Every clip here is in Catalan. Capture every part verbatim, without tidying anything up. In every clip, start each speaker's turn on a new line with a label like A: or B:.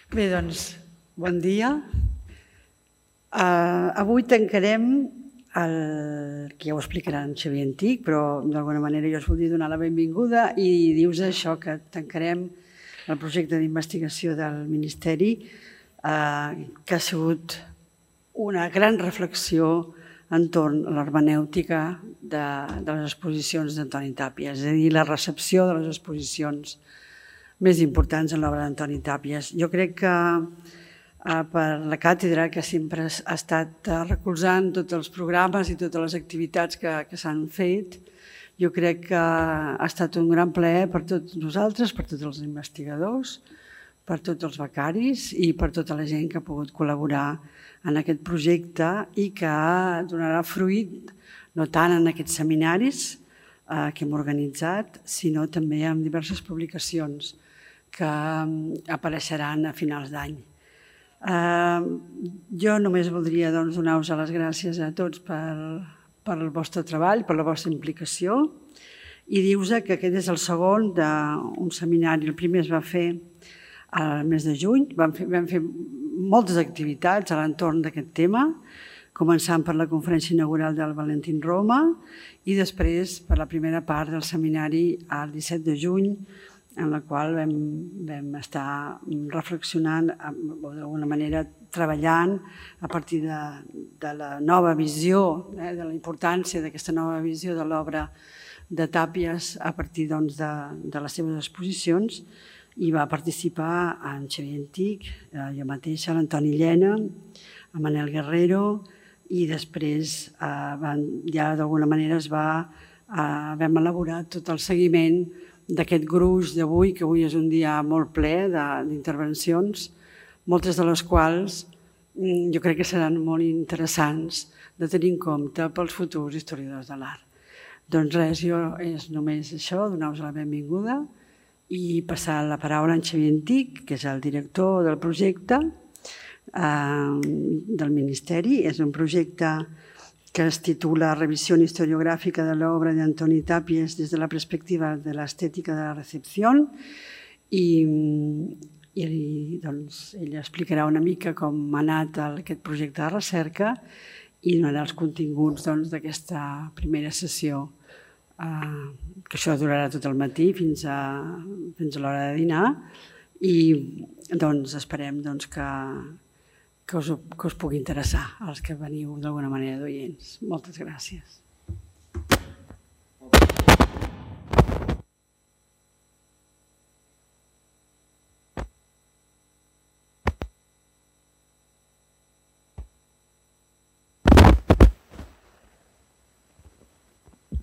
A: Bé, doncs, bon dia. Uh, avui tancarem el que ja ho explicarà en Xavier Antich, però d'alguna manera jo us volia donar la benvinguda i dius això, que tancarem el projecte d'investigació del Ministeri, uh, que ha sigut una gran reflexió entorn a l'hermenèutica de, de les exposicions d'Antoni Tàpies, és a dir, la recepció de les exposicions més importants en l'obra d'Antoni Tàpies. Jo crec que eh, per la càtedra, que sempre ha estat recolzant tots els programes i totes les activitats que, que s'han fet, jo crec que ha estat un gran plaer per tots nosaltres, per tots els investigadors, per tots els becaris i per tota la gent que ha pogut col·laborar en aquest projecte i que donarà fruit no tant en aquests seminaris eh, que hem organitzat, sinó també en diverses publicacions que apareixeran a finals d'any. Eh, jo només voldria doncs, donar-vos les gràcies a tots per, per el vostre treball, per la vostra implicació i dir-vos que aquest és el segon d'un seminari. El primer es va fer al mes de juny, vam fer, vam fer moltes activitats a l'entorn d'aquest tema, començant per la conferència inaugural del Valentín Roma i després per la primera part del seminari el disset de juny, en la qual vam, vam estar reflexionant, o d'alguna manera treballant a partir de, de la nova visió, eh, de la importància d'aquesta nova visió de l'obra de Tàpies a partir doncs, de, de les seves exposicions. I va participar en Xavier Antich, jo mateixa, l'Antoni Llena, en Manel Guerrero i després eh, ja d'alguna manera es va, eh, vam elaborar tot el seguiment d'aquest gruix d'avui, que avui és un dia molt ple d'intervencions, moltes de les quals jo crec que seran molt interessants de tenir en compte pels futurs historiadors de l'art. Doncs res, jo és només això, donar-vos la benvinguda i passar la paraula a en Xavier Antich, que és el director del projecte eh, del Ministeri. És un projecte que es titula Revisión historiográfica de la obra de Antoni Tàpies des de la perspectiva de l'estètica de la recepció i, i doncs, ell explicarà una mica com ha anat aquest projecte de recerca i donarà els continguts d'aquesta doncs, primera sessió. Uh, que això durarà tot el matí fins a, fins a l'hora de dinar i doncs, esperem doncs, que, que, us, que us pugui interessar als que veniu d'alguna manera d'oients. Moltes gràcies.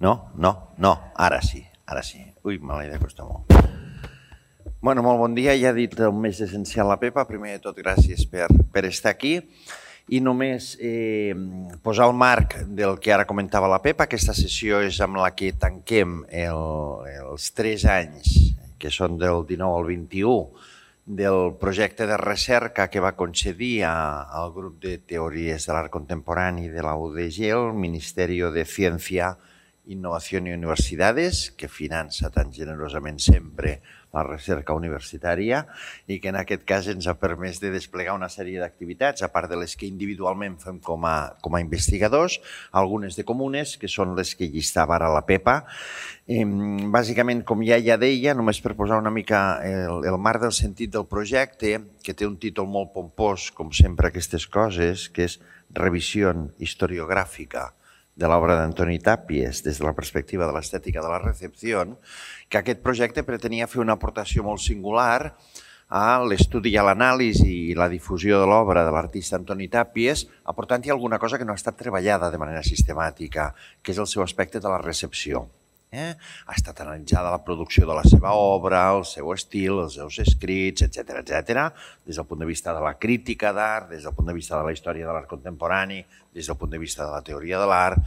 B: No, no, no, ara sí, ara sí. Ui, me l'he d'acostar molt. Bueno, molt bon dia, ja ha dit el més essencial la Pepa. Primer de tot, gràcies per, per estar aquí. I només eh, posar el marc del que ara comentava la Pepa. Aquesta sessió és amb la que tanquem el, els tres anys, que són del dinou al vint-i-u, del projecte de recerca que va concedir a, al grup de teories de l'art contemporani de la U D G, el Ministeri de Ciència, Innovació i Universitats, que finança tan generosament sempre la recerca universitària i que en aquest cas ens ha permès de desplegar una sèrie d'activitats, a part de les que individualment fem com a, com a investigadors, algunes de comunes, que són les que llistava ara la Pepa. Eh, bàsicament, com ja ja deia, només per posar una mica el, el marc del sentit del projecte, que té un títol molt pompós, com sempre aquestes coses, que és Revisió historiogràfica de l'obra d'Antoni Tàpies des de la perspectiva de l'estètica de la recepció, que aquest projecte pretenia fer una aportació molt singular a l'estudi i a l'anàlisi i la difusió de l'obra de l'artista Antoni Tàpies, aportant-hi alguna cosa que no ha estat treballada de manera sistemàtica, que és el seu aspecte de la recepció. Eh? Ha estat analitzada la producció de la seva obra, el seu estil, els seus escrits, etcètera, etcètera, des del punt de vista de la crítica d'art, des del punt de vista de la història de l'art contemporani, des del punt de vista de la teoria de l'art.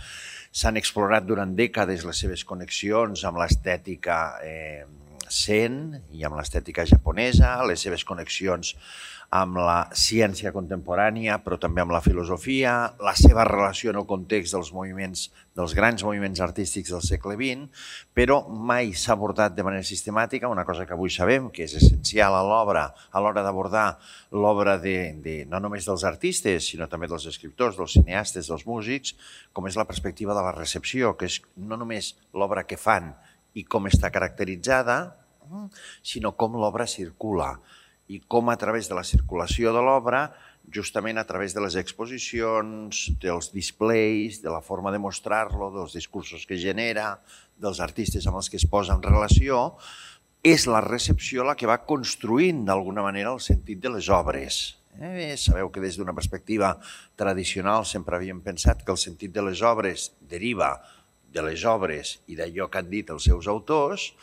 B: S'han explorat durant dècades les seves connexions amb l'estètica eh, zen i amb l'estètica japonesa, les seves connexions amb la ciència contemporània, però també amb la filosofia, la seva relació en el context dels moviments, dels grans moviments artístics del segle vint, però mai s'ha abordat de manera sistemàtica una cosa que avui sabem que és essencial a l'obra, a l'hora d'abordar l'obra de, de, no només dels artistes, sinó també dels escriptors, dels cineastes, dels músics, com és la perspectiva de la recepció, que és no només l'obra que fan i com està caracteritzada, sinó com l'obra circula, i com a través de la circulació de l'obra, justament a través de les exposicions, dels displays, de la forma de mostrar-lo, dels discursos que genera, dels artistes amb els que es posa en relació, és la recepció la que va construint d'alguna manera el sentit de les obres. Eh, sabeu que des d'una perspectiva tradicional sempre havíem pensat que el sentit de les obres deriva de les obres i d'allò que han dit els seus autors.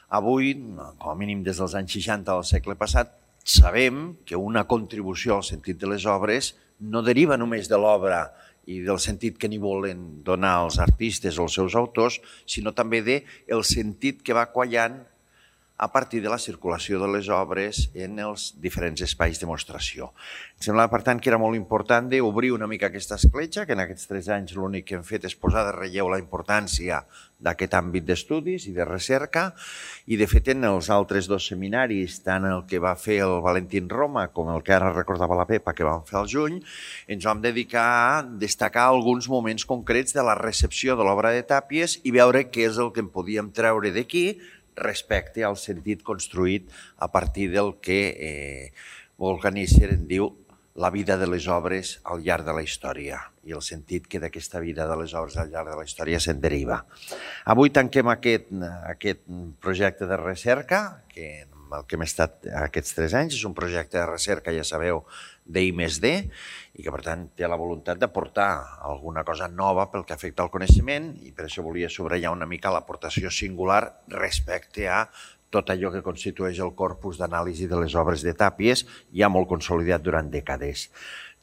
B: Avui, com a mínim des dels anys seixanta del segle passat, sabem que una contribució al sentit de les obres no deriva només de l'obra i del sentit que n'hi volen donar els artistes o els seus autors, sinó també del sentit que va quallant a partir de la circulació de les obres en els diferents espais de mostració. Em semblava, per tant, que era molt important d'obrir una mica aquesta escletxa, que en aquests tres anys l'únic que hem fet és posar de relleu la importància d'aquest àmbit d'estudis i de recerca, i de fet en els altres dos seminaris, tant el que va fer el Valentín Roma com el que ara recordava la Pepa que vam fer al juny, ens vam dedicar a destacar alguns moments concrets de la recepció de l'obra de Tàpies i veure què és el que en podíem treure d'aquí respecte al sentit construït a partir del que eh, Wolfgang Nietzsche en diu la vida de les obres al llarg de la història i el sentit que d'aquesta vida de les obres al llarg de la història se'n deriva. Avui tanquem aquest, aquest projecte de recerca, que el que hem estat aquests tres anys és un projecte de recerca, ja sabeu, d'I més D, i que per tant té la voluntat d'aportar alguna cosa nova pel que afecta al coneixement, i per això volia subratllar una mica l'aportació singular respecte a tot allò que constitueix el corpus d'anàlisi de les obres de Tàpies, ja molt consolidat durant dècades.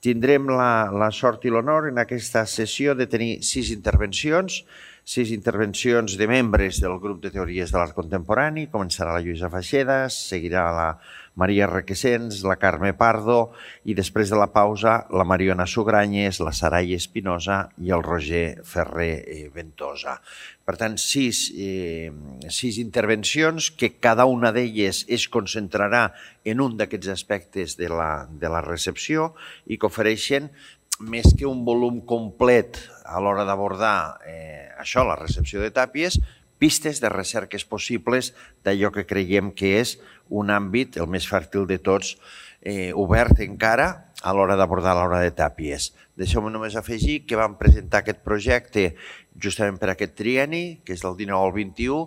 B: Tindrem la, la sort i l'honor en aquesta sessió de tenir sis intervencions, sis intervencions de membres del grup de teories de l'art contemporani. Començarà la Lluïsa Faixedas, seguirà la Maria Requesens, la Carme Pardo i després de la pausa la Mariona Sugranyes, la Sarai Espinosa i el Roger Ferrer Ventosa. Per tant, sis, eh, sis intervencions que cada una d'elles es concentrarà en un d'aquests aspectes de la, de la recepció i que ofereixen més que un volum complet a l'hora d'abordar eh, això, la recepció de Tàpies, pistes de recerques possibles d'allò que creiem que és un àmbit, el més fèrtil de tots, eh, obert encara a l'hora d'abordar l'obra de Tàpies. Deixeu-me només afegir que vam presentar aquest projecte justament per aquest trienni, que és del dinou al vint-i-u,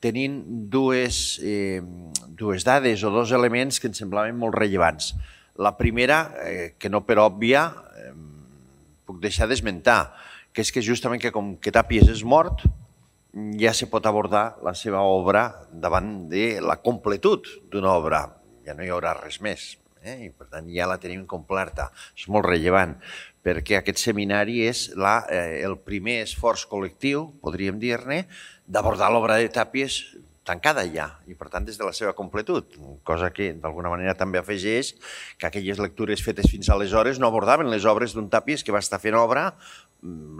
B: tenint dues, eh, dues dades o dos elements que ens semblaven molt rellevants. La primera, eh, que no per òbvia, eh, puc deixar d'esmentar, que és que justament que com que Tàpies és mort, ja se pot abordar la seva obra davant de la completud d'una obra. Ja no hi haurà res més. Eh? I per tant ja la tenim completa. És molt rellevant perquè aquest seminari és la, eh, el primer esforç col·lectiu, podríem dir-ne, d'abordar l'obra de Tàpies tancada ja i per tant des de la seva completud, cosa que d'alguna manera també afegeix que aquelles lectures fetes fins aleshores no abordaven les obres d'un Tàpies que va estar fent obra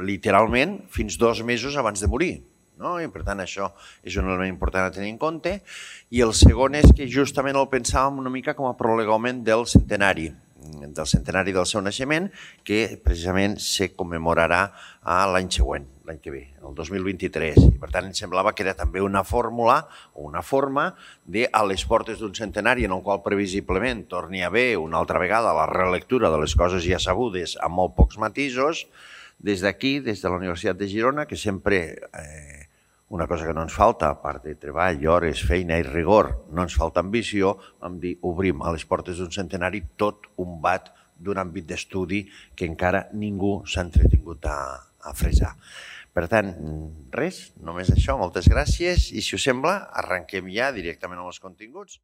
B: literalment fins dos mesos abans de morir. No? I per tant això és un element important a tenir en compte. I el segon és que justament el pensàvem una mica com a prolegomen del centenari, del centenari del seu naixement, que precisament se commemorarà l'any següent, l'any que ve, el dos mil vint-i-tres. I per tant ens semblava que era també una fórmula o una forma de, a les portes d'un centenari en el qual previsiblement torni a haver una altra vegada la relectura de les coses ja sabudes amb molt pocs matisos, des d'aquí, des de la Universitat de Girona, que sempre... Eh, una cosa que no ens falta, a part de treball, hores, feina i rigor, no ens falta ambició, vam dir, obrim a les portes d'un centenari tot un bat d'un àmbit d'estudi que encara ningú s'ha entretingut a, a fresar. Per tant, res, només això, moltes gràcies, i si us sembla, arrenquem ja directament amb els continguts.